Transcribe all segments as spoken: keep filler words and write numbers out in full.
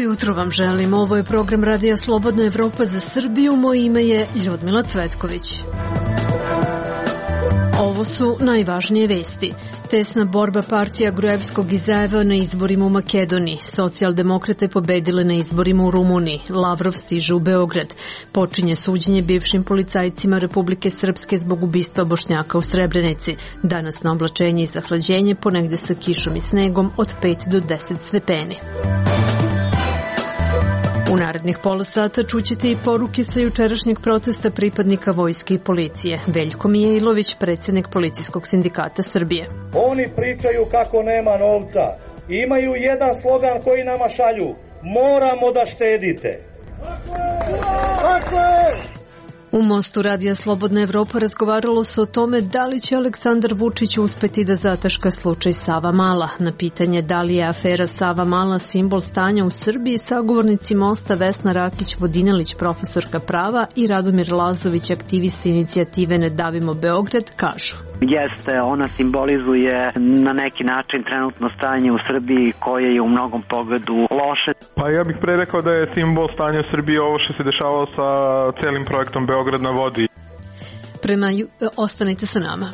Jutro vam želim. Ovo je program Radija Slobodna Evropa za Srbiju. Moje ime je Ljudmila Cvetković. Ovo su najvažnije vesti. Tesna borba partija Gruevskog i Zaeva na izborima u Makedoniji. Socijaldemokrate pobedile na izborima u Rumuniji. Lavrov stiže u Beograd. Počinje suđenje bivšim policajcima Republike Srpske zbog ubistva Bošnjaka u Srebrenici. Danas na oblačenje i zahlađenje, ponegde sa kišom i snegom od pet do deset stepeni. U narednih pola sata čućete i poruke sa jučerašnjeg protesta pripadnika vojske i policije. Veljko Mijailović, predsjednik Policijskog sindikata Srbije. Oni pričaju kako nema novca. Imaju jedan slogan koji nama šalju. Moramo da štedite. Tako je! U Mostu Radija Slobodna Evropa razgovaralo se o tome da li će Aleksandar Vučić uspeti da zataška slučaj Savamala. Na pitanje da li je afera Savamala simbol stanja u Srbiji, sagovornici Mosta Vesna Rakić-Vodinelić, profesorka prava, i Radomir Lazović, aktivisti inicijative Ne davimo Beograd, kažu. Jeste, ona simbolizuje na neki način trenutno stanje u Srbiji koje je u mnogom pogledu loše. Pa ja bih pre rekao da je simbol stanja u Srbiji ovo što se dešavalo sa celim projektom Beograd na vodi. Prema, ostanite sa nama.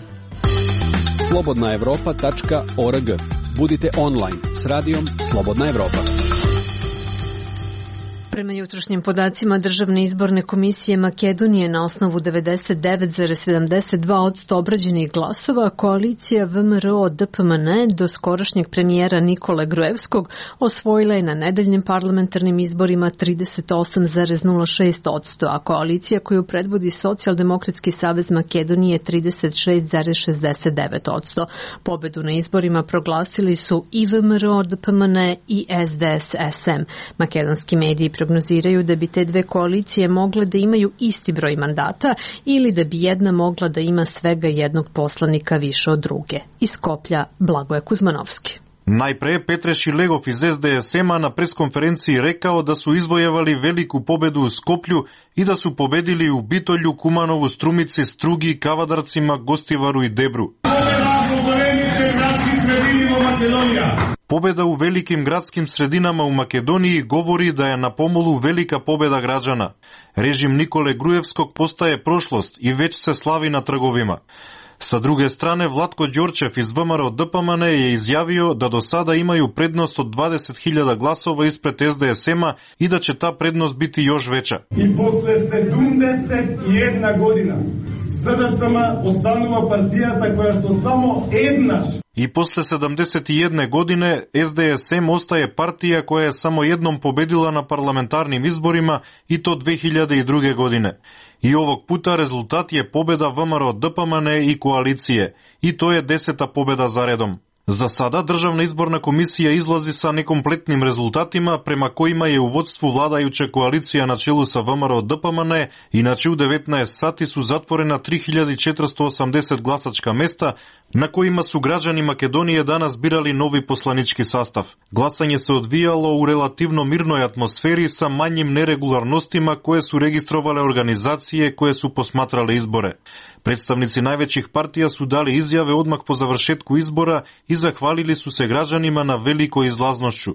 slobodna evropa tačka org. Budite online s radijom Slobodna Evropa. Prema jutrošnjim podacima Državne izborne komisije Makedonije, na osnovu devedeset devet zarez sedamdeset dva posto obrađenih glasova, koalicija V M R O D P M N do skorašnjeg premijera Nikole Gruevskog osvojila je na nedeljnim parlamentarnim izborima trideset osam zarez nula šest posto, a koalicija koju predvodi Socijaldemokratski savez Makedonije trideset šest zarez šezdeset devet posto. Pobedu na izborima proglasili su i V M R O D P M N i S D S S M. Makedonski mediji prognoziraju da bi te dve koalicije mogle da imaju isti broj mandata ili da bi jedna mogla da ima svega jednog poslanika više od druge. Iz Skoplja, Blagoje Kuzmanovski. Najpre Petre Šilegov iz S D S M-a na preskonferenciji rekao da su izvojevali veliku pobedu u Skoplju i da su pobedili u Bitolju, Kumanovu, Strumici, Strugi, Kavadarcima, Gostivaru i Debru. Pobeda u velikim gradskim sredinama u Makedoniji govori da je na pomolu velika pobeda građana. Režim Nikole Gruevskog postaje prošlost i već se slavi na trgovima. Sa druge strane, Vlatko Đorčev iz V M R O D P M N je izjavio da do sada imaju prednost od dvadeset hiljada glasova ispred S D S M-a i da će ta prednost biti još veća. I posle sedamdeset jedna godina sada sama ostanува партијата која што само еднаш. I posle sedamdeset jedne godine S D S M ostaje partija koja je samo jednom pobedila na parlamentarnim izborima i to dve hiljade druge. godine. I ovog puta rezultat je pobeda V M R O D P M N i koalicije i to je deseta pobeda za redom. Za sada Državna izborna komisija izlazi sa nekompletnim rezultatima prema kojima je u vodstvu vladajuća koalicija na čelu sa V M R O D P M N, inače u devetnaest sati su zatvorena tri hiljade četiristo osamdeset glasačka mesta na kojima su građani Makedonije danas birali novi poslanički sastav. Glasanje se odvijalo u relativno mirnoj atmosferi sa manjim neregularnostima koje su registrovale organizacije koje su posmatrale izbore. Predstavnici najvećih partija su dali izjave odmah po završetku izbora i zahvalili su se građanima na velikoj izlaznošću.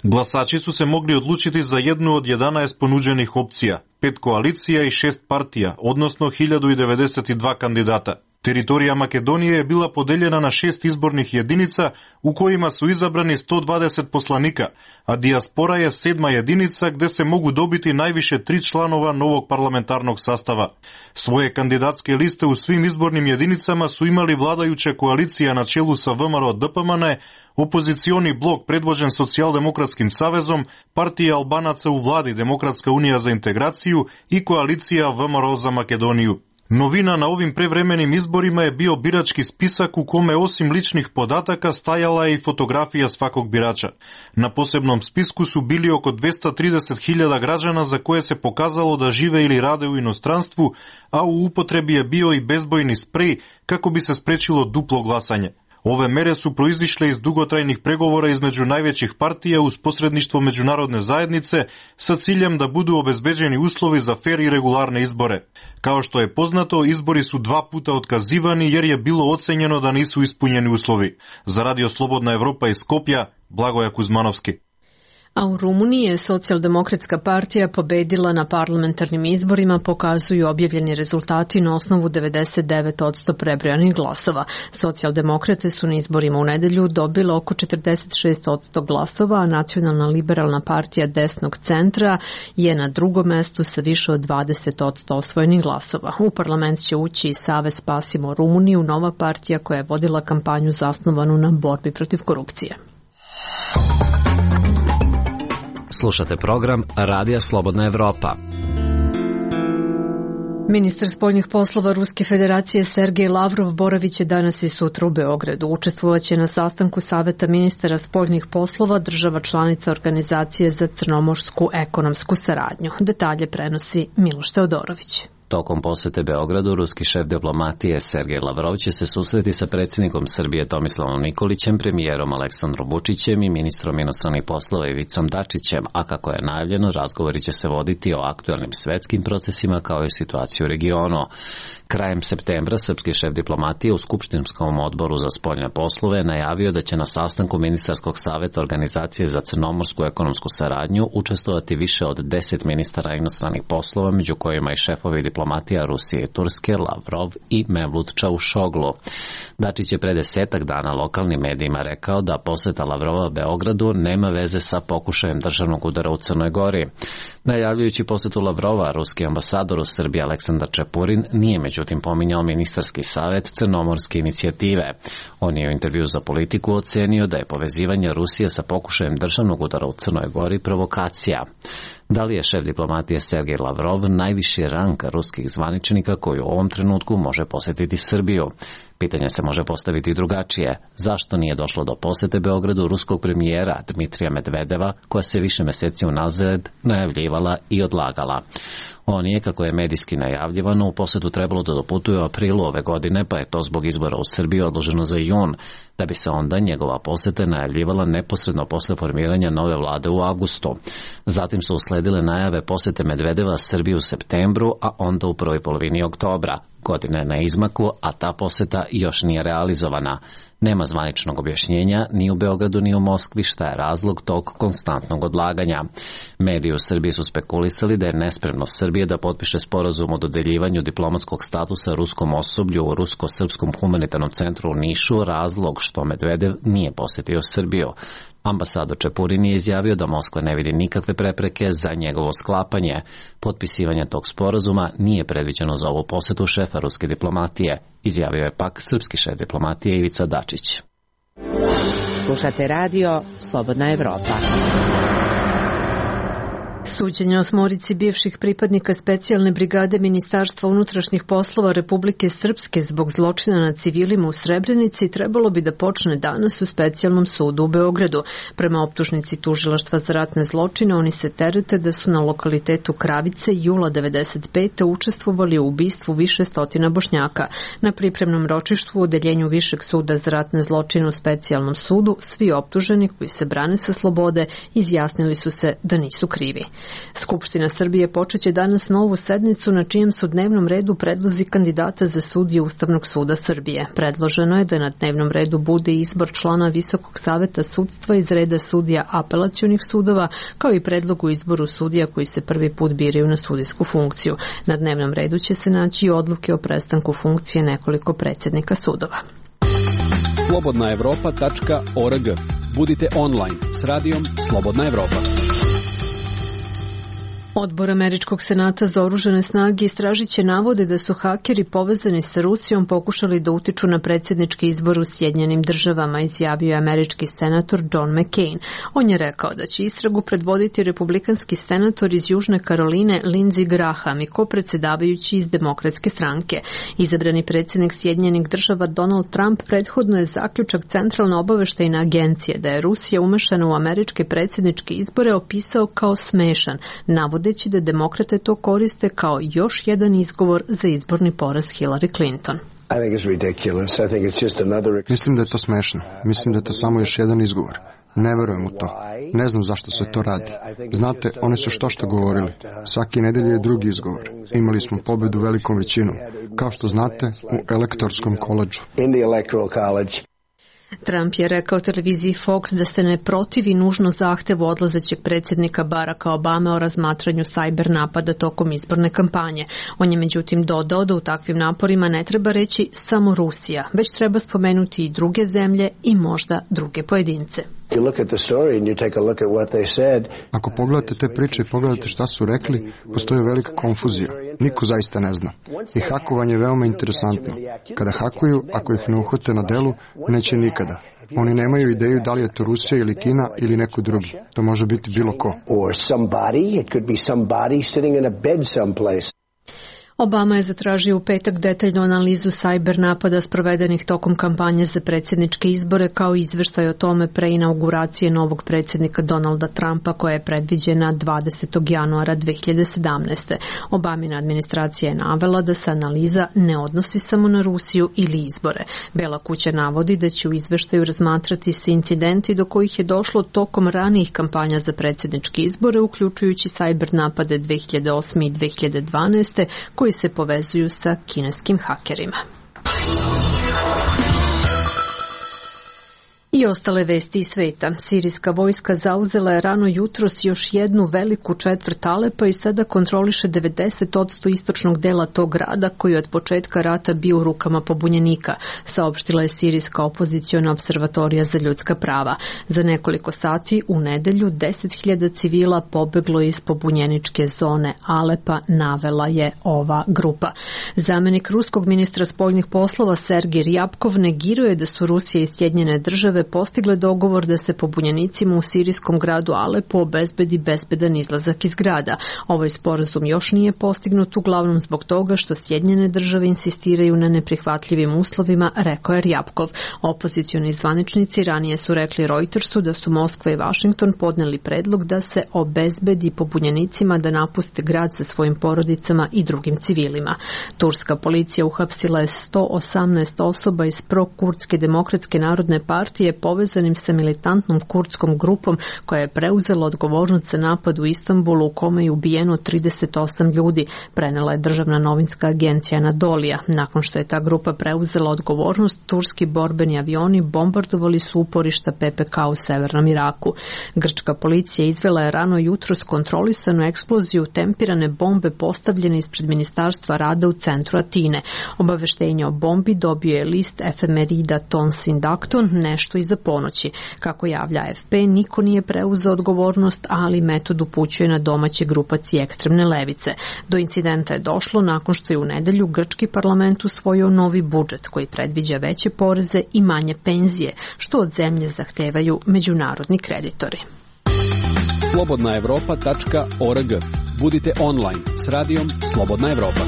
Glasači su se mogli odlučiti za jednu od jedanaest ponuđenih opcija, pet koalicija i šest partija, odnosno hiljadu devedeset dva kandidata. Teritorija Makedonije je bila podeljena na šest izbornih jedinica u kojima su izabrani sto dvadeset poslanika, a dijaspora je sedma jedinica gde se mogu dobiti najviše tri članova novog parlamentarnog sastava. Svoje kandidatske liste u svim izbornim jedinicama su imali vladajuća koalicija na čelu sa V M R O D P M N, opozicioni blok predvođen Socijaldemokratskim savezom, partija Albanaca u vladi Demokratska unija za integraciju i koalicija V M R O za Makedoniju. Novina na ovim prevremenim izborima je bio birački spisak u kome osim ličnih podataka stajala je i fotografija svakog birača. Na posebnom spisku su bili oko dvesta trideset hiljada građana za koje se pokazalo da žive ili rade u inostranstvu, a u upotrebi je bio i bezbojni sprej kako bi se sprečilo duplo glasanje. Ove mere su proizišle iz dugotrajnih pregovora između najvećih partija uz posredništvo međunarodne zajednice sa ciljem da budu obezbeđeni uslovi za fer i regularne izbore. Kao što je poznato, izbori su dva puta otkazivani jer je bilo ocenjeno da nisu ispunjeni uslovi. Za Radio Slobodna Evropa iz Skopja, Blagoja Kuzmanovski. A u Rumuniji je Socijaldemokratska partija pobedila na parlamentarnim izborima, pokazuju objavljeni rezultati na osnovu devedeset devet posto prebrojanih glasova. Socijaldemokrate su na izborima u nedelju dobile oko četrdeset šest posto glasova, a Nacionalna liberalna partija desnog centra je na drugom mestu sa više od dvadeset posto osvojenih glasova. U parlament će ući i Savez Spasimo Rumuniju, nova partija koja je vodila kampanju zasnovanu na borbi protiv korupcije. Slušate program Radija Slobodna Evropa. Ministar spoljnih poslova Ruske federacije Sergej Lavrov boraviće danas i sutra u Beogradu. Učestvovaće na sastanku Saveta ministara spoljnih poslova država članica Organizacije za crnomorsku ekonomsku saradnju. Detalje prenosi Miloš Teodorović. Tokom posete Beogradu, ruski šef diplomatije Sergej Lavrov će se susreti sa predsjednikom Srbije Tomislavom Nikolićem, premijerom Aleksandrom Vučićem i ministrom inostranih poslova Ivicom Dačićem, a kako je najavljeno, razgovori će se voditi o aktuelnim svetskim procesima kao i situaciju u regionu. Krajem septembra srpski šef diplomatije u Skupštinskom odboru za spoljne poslove najavio da će na sastanku ministarskog saveta Organizacije za crnomorsku ekonomsku saradnju učestvovati više od deset ministara inostranih poslova, među kojima i šefovi diplomatija Rusije i Turske, Lavrov i Mevlut Čavušoglu. Dačić je pre desetak dana lokalnim medijima rekao da poseta Lavrova Beogradu nema veze sa pokušajem državnog udara u Crnoj Gori. Najavljujući posetu Lavrova, ruski ambasador u Srbiji Aleksandar Čepurin nije međutim pominjao ministarski savet crnomorske inicijative. On je u intervju za Politiku ocenio da je povezivanje Rusije sa pokušajem državnog udara u Crnoj Gori provokacija. Da li je šef diplomatije Sergej Lavrov najviši rang ruskih zvaničnika koji u ovom trenutku može posjetiti Srbiju? Pitanje se može postaviti drugačije. Zašto nije došlo do posete Beogradu ruskog premijera Dmitrija Medvedeva, koja se više meseci unazad najavljivala i odlagala? On je, kako je medijski najavljivano, u posetu trebalo da doputuje u aprilu ove godine, pa je to zbog izbora u Srbiji odloženo za jun, da bi se onda njegova poseta najavljivala neposredno posle formiranja nove vlade u avgustu. Zatim su usledile najave posete Medvedeva Srbiji u septembru, a onda u prvoj polovini oktobra. Godine na izmaku, a ta poseta još nije realizovana. Nema zvaničnog objašnjenja ni u Beogradu ni u Moskvi šta je razlog tog konstantnog odlaganja. Mediji u Srbiji su spekulisali da je nespremnost Srbije da potpiše sporazum o dodeljivanju diplomatskog statusa ruskom osoblju u Rusko-srpskom humanitarnom centru u Nišu razlog što Medvedev nije posjetio Srbiju. Ambasador Čepurin je izjavio da Moskva ne vidi nikakve prepreke za njegovo sklapanje. Potpisivanje tog sporazuma nije predviđeno za ovu posetu šefa ruske diplomatije, izjavio je pak srpski šef diplomatije Ivica Dačić. Slušate radio Slobodna Evropa. Suđenje osmorici bivših pripadnika specijalne brigade Ministarstva unutrašnjih poslova Republike Srpske zbog zločina nad civilima u Srebrenici trebalo bi da počne danas u specijalnom sudu u Beogradu. Prema optužnici Tužilaštva za ratne zločine, oni se terete da su na lokalitetu Kravice jula devedeset pete učestvovali u ubistvu više stotina Bošnjaka. Na pripremnom ročištu u odeljenju Višeg suda za ratne zločine u specijalnom sudu svi optuženi koji se brane sa slobode izjasnili su se da nisu krivi. Skupština Srbije počeće danas novu sednicu na čijem su dnevnom redu predlozi kandidata za sudije Ustavnog suda Srbije. Predloženo je da na dnevnom redu bude izbor člana Visokog saveta sudstva iz reda sudija apelacionih sudova, kao i predlog u izboru sudija koji se prvi put biraju na sudijsku funkciju. Na dnevnom redu će se naći i odluke o prestanku funkcije nekoliko predsjednika sudova. slobodna evropa tačka org. Budite online s radijom Slobodna Evropa. Odbor Američkog senata za oružane snage istražit će navode da su hakeri povezani sa Rusijom pokušali da utiču na predsjednički izbor u Sjedinjenim državama, izjavio je američki senator John McCain. On je rekao da će istragu predvoditi republikanski senator iz Južne Karoline Lindsey Graham i kopredsjedavajući iz Demokratske stranke. Izabrani predsjednik Sjedinjenih država Donald Trump prethodno je zaključak Centralne obaveštajne agencije da je Rusija umešana u američke predsjedničke izbore opisao kao smešan, navode da demokrate to koriste kao još jedan izgovor za izborni poraz Hillary Clinton. Mislim da je to smešno. Mislim da je to samo još jedan izgovor. Ne verujem u to. Ne znam zašto se to radi. Znate, oni su što što govorili. Svaki nedelje je drugi izgovor. Imali smo pobedu velikom većinom. Kao što znate, u elektorskom koledžu. Trump je rekao televiziji Fox da se ne protivi nužno zahtevu odlazećeg predsjednika Baracka Obame o razmatranju sajber napada tokom izborne kampanje. On je međutim dodao da u takvim naporima ne treba reći samo Rusija, već treba spomenuti i druge zemlje i možda druge pojedince. Ako pogledate te priče i pogledate šta su rekli, postoji velika konfuzija. Niko zaista ne zna. I hakovanje je veoma interesantno. Kada hakuju, ako ih ne uhvate na delu, neće nikada. Oni nemaju ideju da li je to Rusija ili Kina ili neko drugi. To može biti bilo ko. Obama je zatražio u petak detaljnu analizu sajber napada sprovedenih tokom kampanje za predsjedničke izbore kao izveštaj o tome pre inauguracije novog predsjednika Donalda Trumpa koja je predviđena dvadesetog januara dve hiljade sedamnaeste. Obamina administracija je navela da se analiza ne odnosi samo na Rusiju ili izbore. Bela kuća navodi da će u izveštaju razmatrati se incidenti do kojih je došlo tokom ranijih kampanja za predsjedničke izbore, uključujući sajber napade dve hiljade osme i dve hiljade dvanaeste koji se povezuju sa kineskim hakerima. I ostale vesti iz sveta. Sirijska vojska zauzela je rano jutros još jednu veliku četvrt Alepa i sada kontroliše devedeset posto istočnog dela tog grada koji je od početka rata bio u rukama pobunjenika, saopštila je Sirijska opoziciona observatorija za ljudska prava. Za nekoliko sati u nedelju deset hiljada civila pobeglo iz pobunjeničke zone Alepa, navela je ova grupa. Zamenik ruskog ministra spoljnih poslova Sergej Ryabkov negirao je da su Rusija i Sjedinjene države postigle dogovor da se pobunjenicima u sirijskom gradu Alepu obezbedi bezbedan izlazak iz grada. Ovaj sporazum još nije postignut uglavnom zbog toga što Sjedinjene države insistiraju na neprihvatljivim uslovima, rekao je Ryabkov. Opozicioni zvaničnici ranije su rekli Reutersu da su Moskva i Washington podneli predlog da se obezbedi pobunjenicima da napuste grad sa svojim porodicama i drugim civilima. Turska policija uhapsila je sto osamnaest osoba iz pro-kurdske demokratske narodne partije povezanim sa militantnom kurdskom grupom koja je preuzela odgovornost za napad u Istanbulu u kome je ubijeno trideset osam ljudi, prenela je državna novinska agencija Anadolija. Nakon što je ta grupa preuzela odgovornost, turski borbeni avioni bombardovali su uporišta P P K u severnom Iraku. Grčka policija izvela je rano jutros kontrolisanu eksploziju tempirane bombe postavljene ispred Ministarstva rada u centru Atine. Obaveštenje o bombi dobio je list efemerida Ton Sindakton nešto iza ponoći. Kako javlja A F P, niko nije preuzeo odgovornost, ali metod upućuje na domaće grupacije ekstremne levice. Do incidenta je došlo nakon što je u nedelju grčki parlament usvojio novi budžet koji predviđa veće poreze i manje penzije, što od zemlje zahtevaju međunarodni kreditori. slobodna evropa tačka org. Budite online s radijom Slobodna Evropa.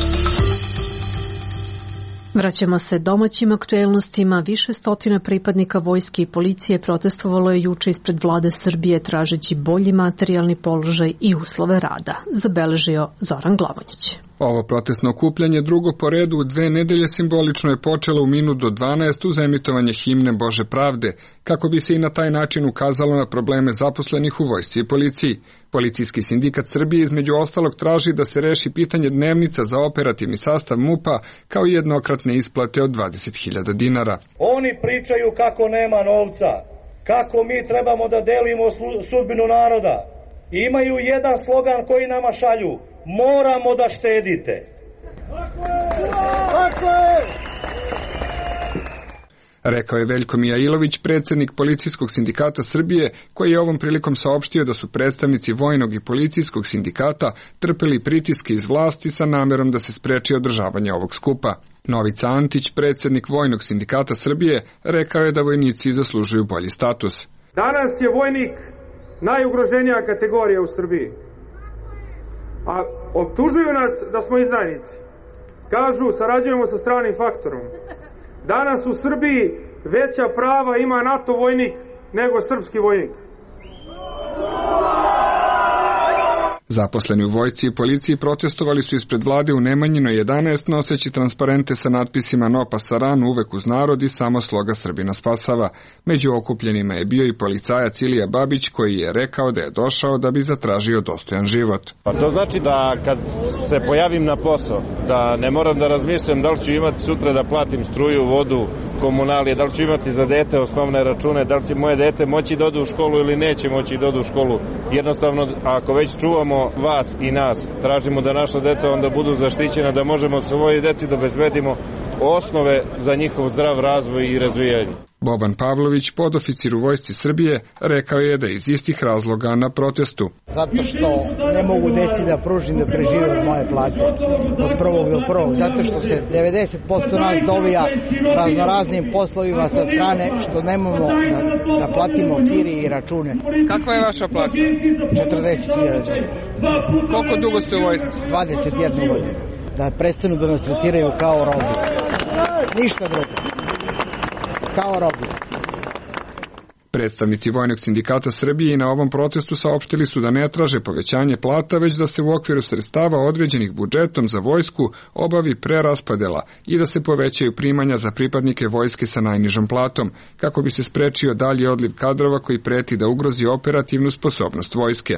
Vraćamo se domaćim aktuelnostima. Više stotina pripadnika vojske i policije protestovalo je juče ispred vlade Srbije tražeći bolji materijalni položaj i uslove rada, zabeležio Zoran Glavonjić. Ovo protestno okupljanje drugo po redu u dve nedelje simbolično je počelo u minut do dvanaest uz emitovanje himne Bože pravde, kako bi se i na taj način ukazalo na probleme zaposlenih u vojsci i policiji. Policijski sindikat Srbije između ostalog traži da se reši pitanje dnevnica za operativni sastav MUP-a kao i jednokratne isplate od dvadeset hiljada dinara. Oni pričaju kako nema novca, kako mi trebamo da delimo sudbinu naroda. Imaju jedan slogan koji nama šalju: moramo da štedite. Tako je! Rekao je Veljko Mijailović, predsjednik Policijskog sindikata Srbije, koji je ovom prilikom saopštio da su predstavnici vojnog i policijskog sindikata trpeli pritiske iz vlasti sa namerom da se spreči održavanje ovog skupa. Novica Antić, predsjednik Vojnog sindikata Srbije, rekao je da vojnici zaslužuju bolji status. Danas je vojnik najugroženija kategorija u Srbiji. A optužuju nas da smo izdajnici. Kažu, sarađujemo sa stranim faktorom. Danas u Srbiji veća prava ima NATO vojnik nego srpski vojnik. Zaposleni u vojsci i policiji protestovali su ispred vlade u Nemanjinoj jedanaest noseći transparente sa natpisima No pasaran, uvek uz narod i samo sloga Srbina spasava. Među okupljenima je bio i policajac Ilija Babić koji je rekao da je došao da bi zatražio dostojan život. Pa to znači da kad se pojavim na posao, da ne moram da razmišljam da li ću imati sutra da platim struju, vodu, komunalije, da li ću imati za dete osnovne račune, da li će moje dete moći da ode u školu ili neće moći da ode u školu. Jednostavno, ako već čuvamo vas i nas, tražimo da naša deca onda budu zaštićena, da možemo svoje deci da obezbedimo osnove za njihov zdrav razvoj i razvijanje. Boban Pavlović, podoficir u Vojsci Srbije, rekao je da je iz istih razloga na protestu. Zato što ne mogu deci da pružim da prežive od moje plate od prvog do prvog, zato što se devedeset posto nas dovija raznoraznim poslovima sa strane što nemamo da, da platimo kirije i račune. Kakva je vaša plata? četrdeset hiljada. Koliko dugo ste u vojsci? dvadeset jedna godina. Da prestanu da nas tretiraju kao robu. Ništa drugo. Kao robu. Predstavnici Vojnog sindikata Srbije i na ovom protestu saopštili su da ne traže povećanje plata, već da se u okviru sredstava određenih budžetom za vojsku obavi preraspodela i da se povećaju primanja za pripadnike vojske sa najnižom platom, kako bi se sprečio dalji odliv kadrova koji preti da ugrozi operativnu sposobnost vojske.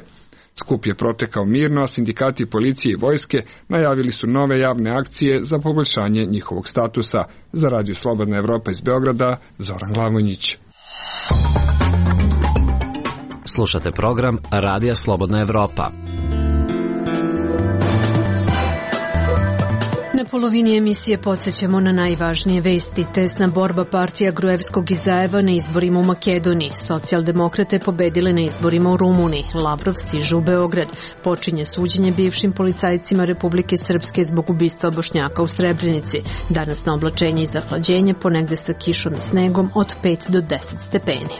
Skup je protekao mirno, a sindikati policije i vojske najavili su nove javne akcije za poboljšanje njihovog statusa. Za Radio Slobodna Evropa iz Beograda, Zoran Glavonjić. Slušate program Radija Slobodna Evropa. Na polovini emisije podsjećamo na najvažnije vesti. Tesna borba partija Gruevskog i Zaeva na izborima u Makedoniji. Socijaldemokrate pobedile na izborima u Rumuniji. Lavrov stiže u Beograd. Počinje suđenje bivšim policajcima Republike Srpske zbog ubistva Bošnjaka u Srebrenici. Danas na oblačenje i zahlađenje, ponegde sa kišom i snegom od pet do deset stepeni.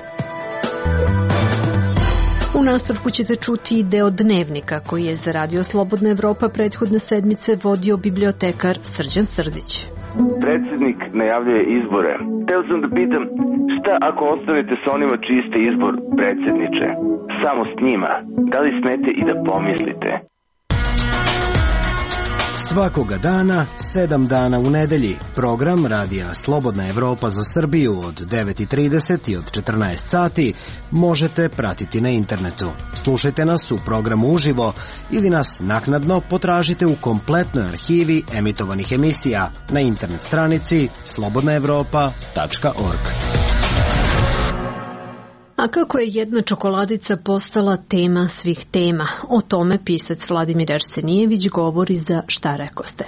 U nastavku ćete čuti i deo dnevnika koji je za Radio Slobodna Evropa prethodne sedmice vodio bibliotekar Srđan Srdić. Predsednik najavljuje izbore. Teo sam da pitam, šta ako ostanete sa onima čiji ste izbor predsedniče? Samo s njima. Da li smete i da pomislite? Svakoga dana, sedam dana u nedelji, program Radija Slobodna Evropa za Srbiju od devet i trideset i od četrnaest sati možete pratiti na internetu. Slušajte nas u programu uživo ili nas naknadno potražite u kompletnoj arhivi emitovanih emisija na internet stranici slobodna evropa tačka org. A kako je jedna čokoladica postala tema svih tema? O tome pisac Vladimir Arsenijević govori za Šta rekoste.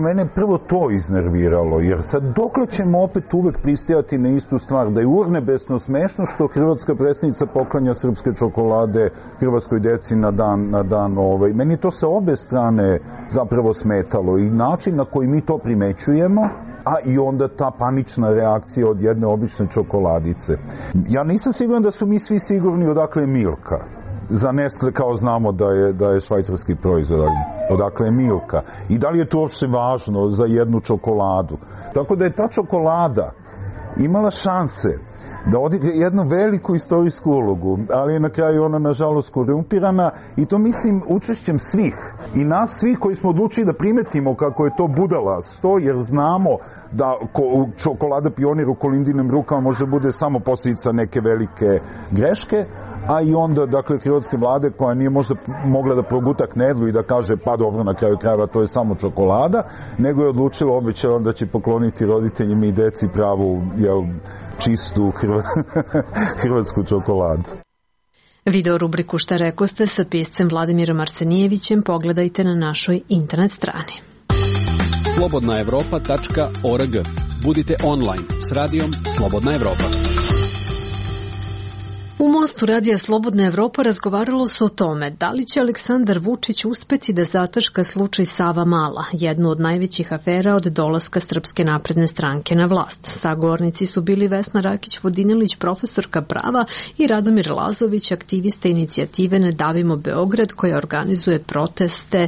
Mene prvo to iznerviralo, jer sad dokle ćemo opet uvek pristajati na istu stvar, da je urnebesno smešno što hrvatska predsjednica poklanja srpske čokolade hrvatskoj deci na dan, na dan ovaj. Meni to sa obe strane zapravo smetalo i način na koji mi to primećujemo, a i onda ta panična reakcija od jedne obične čokoladice. Ja nisam siguran da su mi svi sigurni odakle je Milka. Za Nestle kao znamo da je, da je švajcarski proizvod, odakle je Milka. I da li je to uopšte važno za jednu čokoladu. Tako da je ta čokolada imala šanse da odigra jednu veliku istorijsku ulogu, ali je na kraju ona nažalost korumpirana i to mislim učešćem svih i nas svih koji smo odlučili da primetimo kako je to budalasto, jer znamo da čokolada Pionir u Kolindinim rukama može bude samo posljedica neke velike greške, a i onda, dakle, hrvatske vlade koja nije možda mogla da proguta knedlu i da kaže, pa dobro, na kraju krajeva to je samo čokolada, nego je odlučila, obećala da će pokloniti roditeljima i deci pravu, jel, čistu hrva, hrvatsku čokoladu. Video rubriku Šta rekoste sa piscem Vladimirom Arsenijevićem pogledajte na našoj internet strani. slobodna evropa tačka org. Budite online s radijom Slobodna Evropa. U Mostu Radija Slobodna Evropa razgovaralo se o tome da li će Aleksandar Vučić uspeti da zataška slučaj Savamala, jednu od najvećih afera od dolaska Srpske napredne stranke na vlast. Sagovornici su bili Vesna Rakić-Vodinelić, profesorka prava, i Radomir Lazović, aktivista inicijative Ne davimo Beograd, koja organizuje proteste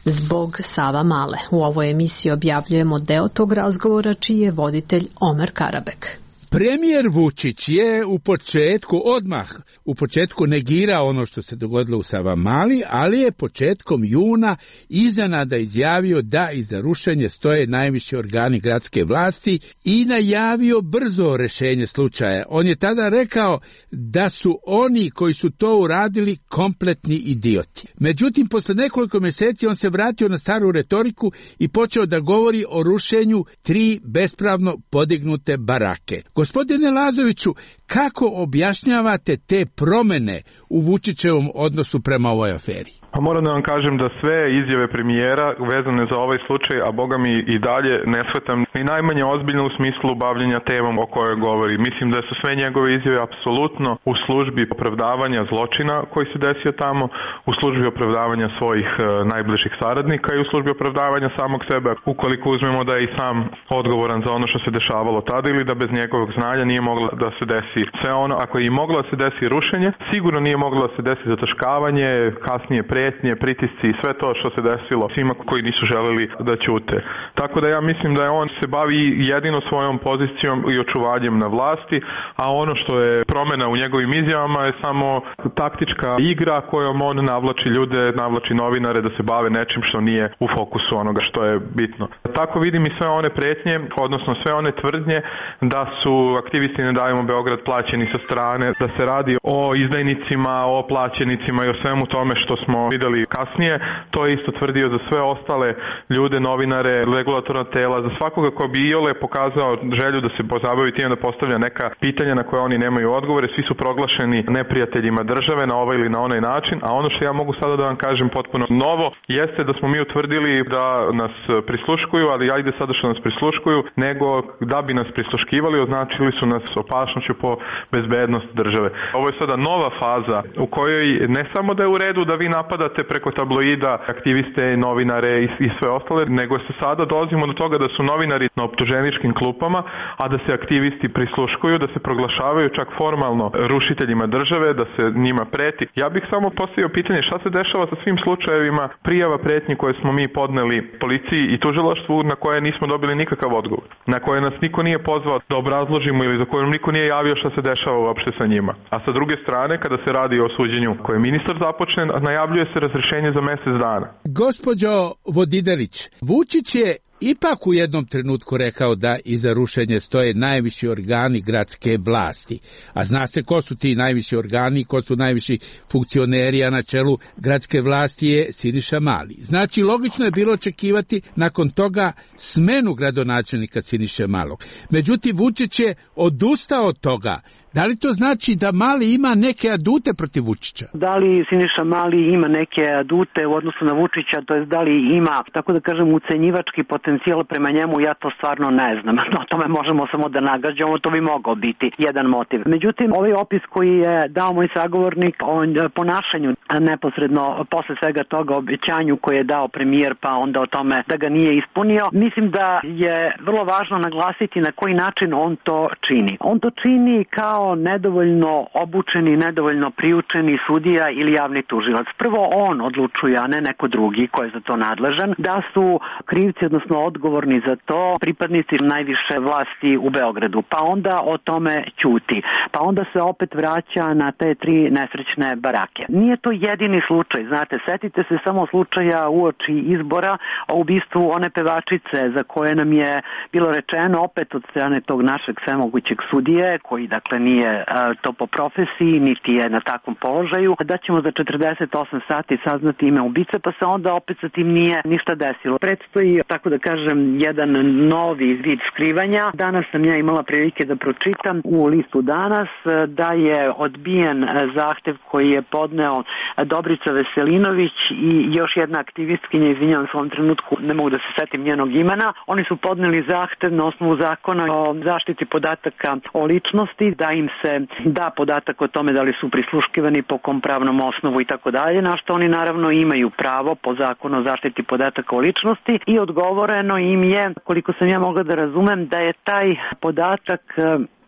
zbog Savamale. U ovoj emisiji objavljujemo deo tog razgovora čiji je voditelj Omer Karabek. Premijer Vučić je u početku, odmah u početku negirao ono što se dogodilo u Savamali, ali je početkom juna iznenada izjavio da iza rušenja stoje najviši organi gradske vlasti i najavio brzo rešenje slučaja. On je tada rekao da su oni koji su to uradili kompletni idioti. Međutim, posle nekoliko mjeseci on se vratio na staru retoriku i počeo da govori o rušenju tri bespravno podignute barake. Gospodine Lazoviću, kako objašnjavate te promene u Vučićevom odnosu prema ovoj aferi? Pa moram da vam kažem da sve izjave premijera vezane za ovaj slučaj, a boga mi i dalje ne shvatam ni najmanje ozbiljno u smislu bavljenja temom o kojoj govori. Mislim da su sve njegove izjave apsolutno u službi opravdavanja zločina koji se desio tamo, u službi opravdavanja svojih e, najbližih saradnika i u službi opravdavanja samog sebe, ukoliko uzmemo da je i sam odgovoran za ono što se dešavalo tada ili da bez njegovog znanja nije moglo da se desi sve ono. Ako je i moglo da se desi rušenje, sigurno nije moglo da se desi zataškavanje, kasnije pretnje, pritisci i sve to što se desilo svima koji nisu želeli da ćute. Tako da ja mislim da je on se bavi jedino svojom pozicijom i očuvanjem na vlasti, a ono što je promena u njegovim izjavama je samo taktička igra kojom on navlači ljude, navlači novinare da se bave nečim što nije u fokusu onoga što je bitno. Tako vidim i sve one pretnje, odnosno sve one tvrdnje da su aktivisti Ne davimo Beograd plaćeni sa strane, da se radi o izdajnicima, o plaćenicima i o svemu tome što smo videli kasnije. To je isto tvrdio za sve ostale ljude, novinare, regulatorna tela, za svakoga ko bi iole pokazao želju da se pozabavi time da postavlja neka pitanja na koje oni nemaju odgovore. Svi su proglašeni neprijateljima države na ovaj ili na onaj način, a ono što ja mogu sada da vam kažem potpuno novo jeste da smo mi utvrdili da nas prisluškuju, ali ajde sada što nas prisluškuju, nego da bi nas prisluškivali označili su nas opasnošću po bezbednost države. Ovo je sada nova faza u kojoj ne samo da je u redu da vi napadate preko tabloida aktiviste, novinare i, i sve ostale, nego se sada dolazimo do toga da su novinari na optuženičkim klupama, a da se aktivisti prisluškuju, da se proglašavaju čak formalno rušiteljima države, da se njima preti. Ja bih samo postavio pitanje šta se dešava sa svim slučajevima prijava pretnji koje smo mi podneli policiji i tužilaštvu na koje nismo dobili nikakav odgovor, na koje nas niko nije pozvao da obrazložimo ili za koje niko nije javio šta se dešava uopšte sa njima. A sa druge strane, kada se radi o suđenju koje ministar započne, najavljuje se razrešenje za mesec dana. Gospođo Vodidelić, Vučić je ipak u jednom trenutku rekao da iza rušenja stoje najviši organi gradske vlasti. A zna se ko su ti najviši organi, ko su najviši funkcioneri, a na čelu gradske vlasti je Siniša Mali. Znači, logično je bilo očekivati nakon toga smenu gradonačelnika Siniše Malog. Međutim, Vučić je odustao od toga. Da li to znači da Mali ima neke adute protiv Vučića? Da li Siniša Mali ima neke adute u odnosu na Vučića, to jest da li ima, tako da kažem, ucenjivački potencijal prema njemu, ja to stvarno ne znam. O tome možemo samo da nagađamo, to bi mogao biti jedan motiv. Međutim, ovaj opis koji je dao moj sagovornik o ponašanju neposredno posle svega toga, obećanju koje je dao premijer, pa onda o tome da ga nije ispunio, mislim da je vrlo važno naglasiti na koji način on to čini. On to čini kao nedovoljno obučeni, nedovoljno priučeni sudija ili javni tužilac. Prvo on odlučuje, a ne neko drugi ko je za to nadležan, da su krivci, odnosno odgovorni za to, pripadnici najviše vlasti u Beogradu. Pa onda o tome ćuti. Pa onda se opet vraća na te tri nesrećne barake. Nije to jedini slučaj, znate, setite se samo slučaja uoči izbora o ubistvu one pevačice za koje nam je bilo rečeno opet od strane tog našeg svemogućeg sudije, koji dakle nije to po profesiji, niti je na takvom položaju, da ćemo za četrdeset osam sati saznati ime ubice, pa se onda opet sa tim nije ništa desilo. Predstoji, tako da kažem, jedan novi vid skrivanja. Danas sam ja imala prilike da pročitam u listu Danas da je odbijen zahtev koji je podneo Dobrica Veselinović i još jedna aktivistkinja, izvinjavam se u ovom trenutku, ne mogu da se setim njenog imena. Oni su podneli zahtev na osnovu zakona o zaštiti podataka o ličnosti, da im se da podatak o tome da li su prisluškivani, po kom pravnom osnovu i tako dalje, na što oni naravno imaju pravo po zakonu o zaštiti podataka o ličnosti i odgovoreno im je, koliko sam ja mogla da razumem, da je taj podatak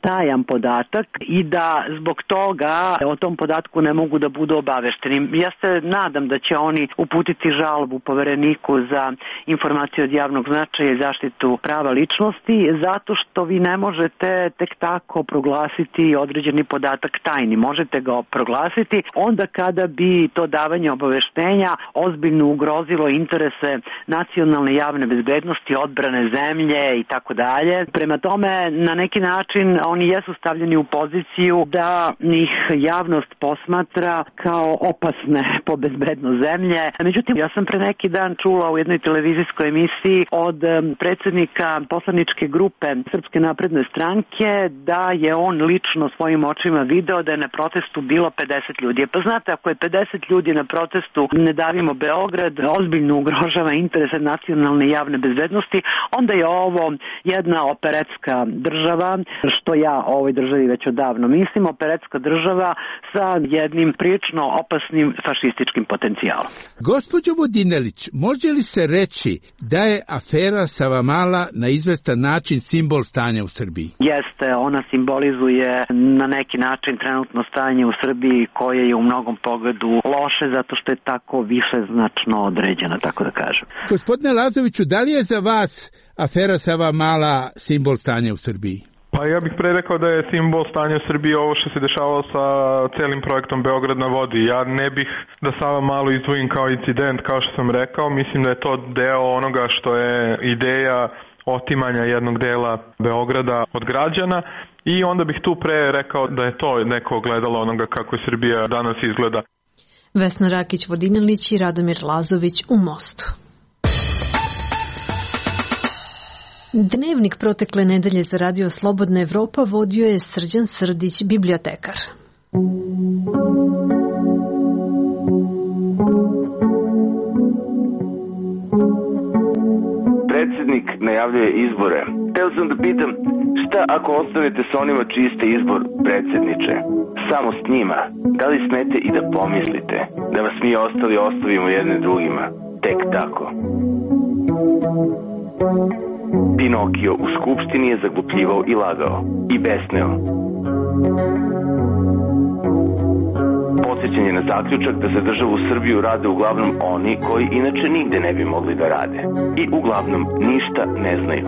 tajan podatak i da zbog toga o tom podatku ne mogu da budu obavešteni. Ja se nadam da će oni uputiti žalbu Povereniku za informacije od javnog značaja i zaštitu prava ličnosti, zato što vi ne možete tek tako proglasiti određeni podatak tajni. Možete ga proglasiti onda kada bi to davanje obaveštenja ozbiljno ugrozilo interese nacionalne javne bezbednosti, odbrane zemlje i tako dalje. Prema tome, na neki način oni jesu stavljeni u poziciju da ih javnost posmatra kao opasne po bezbednost zemlje. Međutim, ja sam pre neki dan čula u jednoj televizijskoj emisiji od predsjednika poslaničke grupe Srpske napredne stranke da je on lično svojim očima video da je na protestu bilo pedeset ljudi. Pa znate, ako je pedeset ljudi na protestu Ne davimo Beograd, ozbiljno ugrožava interese nacionalne javne bezbednosti, onda je ovo jedna operetska država, što ja o ovoj državi već odavno mislim, operetska država sa jednim prilično opasnim fašističkim potencijalom. Gospođo Vodinelić, može li se reći da je afera Savamala na izvestan način simbol stanja u Srbiji? Jeste, ona simbolizuje na neki način trenutno stanje u Srbiji koje je u mnogom pogledu loše zato što je tako više značno određena, tako da kažem. Gospodine Lazoviću, da li je za vas afera Savamala simbol stanja u Srbiji? Pa ja bih pre rekao da je simbol stanja u Srbiji ovo što se dešavalo sa celim projektom Beograd na vodi. Ja ne bih da Savamalu izdvojim kao incident, kao što sam rekao. Mislim da je to deo onoga što je ideja otimanja jednog dela Beograda od građana i onda bih tu pre rekao da je to neko ogledalo onoga kako je Srbija danas izgleda. Vesna Rakić-Vodinelić i Radomir Lazović u Mostu. Dnevnik protekle nedelje za Radio Slobodna Evropa vodio je Srđan Srdić, bibliotekar. Predsjednik najavljuje izbore. Teo sam da pitam, šta ako ostavite sa onima čiji ste izbor, predsjedniče? Samo s njima. Da li smete i da pomislite da vas mi ostali ostavimo jedne drugima? Tek tako. Pinokio u skupštini je zaglupljivao i lagao. I besneo. Podsjećanje na zaključak da za državu Srbiju rade uglavnom oni koji inače nigde ne bi mogli da rade. I uglavnom ništa ne znaju.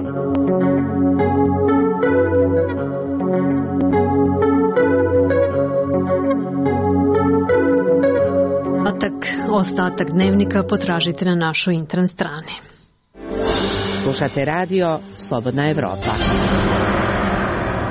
Ostatak, ostatak dnevnika potražite na našoj internet strani. Slušate radio Slobodna Evropa.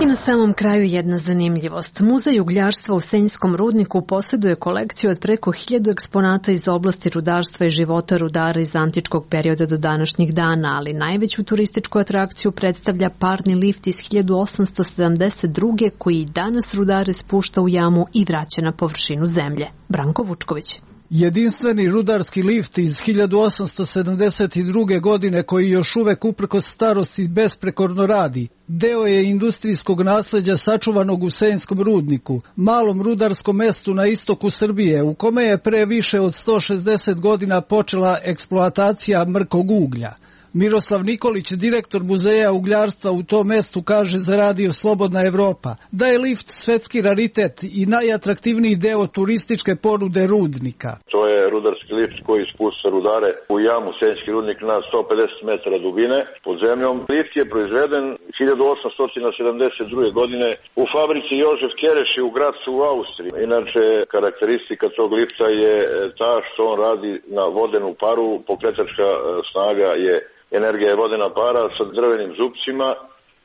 I na samom kraju jedna zanimljivost. Muzej ugljarstva u Senjskom rudniku posjeduje kolekciju od preko hiljadu eksponata iz oblasti rudarstva i života rudara iz antičkog perioda do današnjih dana, ali najveću turističku atrakciju predstavlja parni lift iz hiljadu osamsto sedamdeset druge koji danas rudare spušta u jamu i vraća na površinu zemlje. Branko Vučković. Jedinstveni rudarski lift iz hiljadu osamsto sedamdeset druge. godine koji još uvek uprkos starosti besprekorno radi, deo je industrijskog nasleđa sačuvanog u Senjskom rudniku, malom rudarskom mestu na istoku Srbije, u kome je pre više od sto šezdeset godina počela eksploatacija mrkog uglja. Miroslav Nikolić, direktor Muzeja ugljarstva u tom mestu, kaže za Radio Slobodna Evropa da je lift svetski raritet i najatraktivniji deo turističke ponude rudnika. To je rudarski lift koji spušta rudare u jamu Senjski rudnik na sto pedeset metara dubine pod zemljom. Lift je proizveden hiljadu osamsto sedamdeset druge. godine u fabrici Jožef Kereši u Gracu u Austriji. Inače, karakteristika tog lifta je ta što on radi na vodenu paru, pokretačka snaga je energija je vodena para sa drvenim zupcima.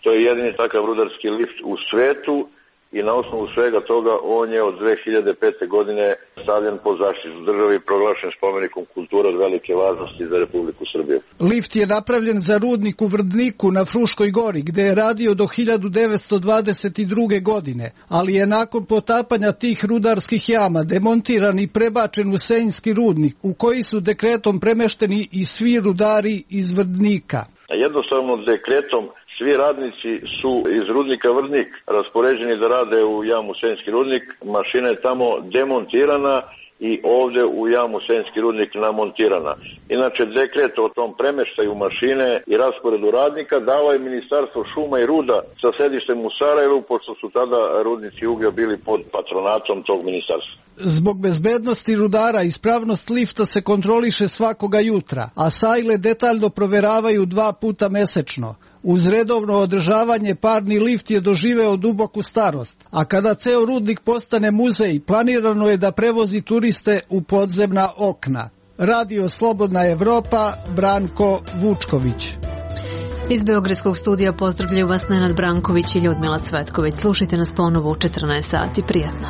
To je jedini takav rudarski lift u svetu i na osnovu svega toga on je od dve hiljade pete. godine stavljen pod zaštitu države i proglašen spomenikom kulture od velike važnosti za Republiku Srbiju. Lift je napravljen za rudnik u Vrdniku na Fruškoj gori, gde je radio do hiljadu devetsto dvadeset druge. godine, ali je nakon potapanja tih rudarskih jama demontiran i prebačen u Senjski rudnik, u koji su dekretom premešteni i svi rudari iz Vrdnika. Jednostavno dekretom svi radnici su iz rudnika Vrdnik raspoređeni da rade u jamu Senjski rudnik. Mašina je tamo demontirana i ovde u jamu Senjski rudnik namontirana. Inače, dekret o tom premeštaju mašine i rasporedu radnika dalo je Ministarstvo šuma i ruda sa sedištem u Sarajevu, pošto su tada rudnici uglja bili pod patronatom tog ministarstva. Zbog bezbednosti rudara ispravnost lifta se kontroliše svakoga jutra, a sajle detaljno proveravaju dva puta mesečno. Uz redovno održavanje parni lift je doživeo duboku starost, a kada ceo rudnik postane muzej, planirano je da prevozi turiste u podzemna okna. Radio Slobodna Evropa, Branko Vučković. Iz Beogradskog studija pozdravljaju vas Nenad Branković i Ljudmila Cvetković. Slušajte nas ponovo u četrnaest sati. Prijatno.